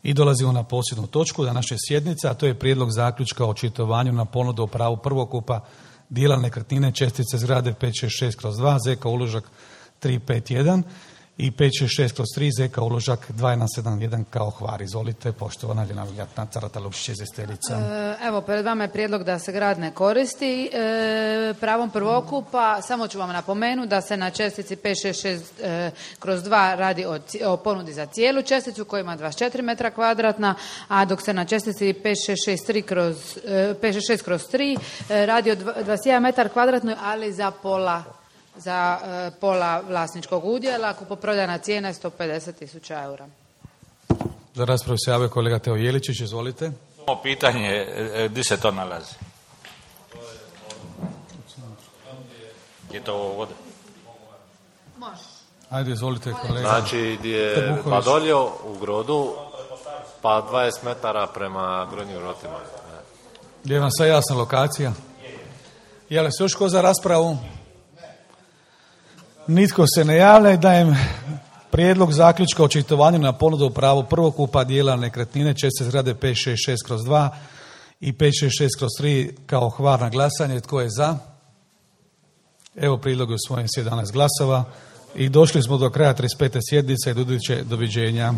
I dolazimo na posljednju točku današnje sjednice, a to je prijedlog zaključka o očitovanju na ponudu o pravu prvokupa dijela nekretnine čestice zgrade 566/2 ZK uložak 351 i 566/3 ZK uložak 2171 kao Hvar. Izvolite, poštovana Ljena Carata Lukšić, izvjestiteljica. Evo, pred vama je prijedlog da se grad ne koristi pravom prvokupa. Samo ću vam napomenuti da se na čestici 566/2 radi o ponudi za cijelu česticu koja ima 24 metra kvadratna, a dok se na čestici 566/3 radi o 21 metar kvadratnoj, ali za pola vlasničkog udjela. Kupoprodajna cijena je 150.000 eura. Za raspravu se javio kolega Teo Jeličić, izvolite. Samo pitanje, gdje se to nalazi? Je to vode? Može. Ajde, izvolite kolega. Znači, gdje je Badoljo u Grodu, pa 20 metara prema Gornjim Rotima. Je vam sve jasna lokacija? Je li se još ko za raspravu? Nitko se ne javlja i dajem prijedlog zaključka o očitovanju na ponudu o pravu prvokupa dijela nekretnine čestice zgrade 566/2 i 566/3 kao Hvar na glasanje. Tko je za? Evo, prijedlog je usvojen s 11 glasova i došli smo do kraja 35. sjednice i doviđenja.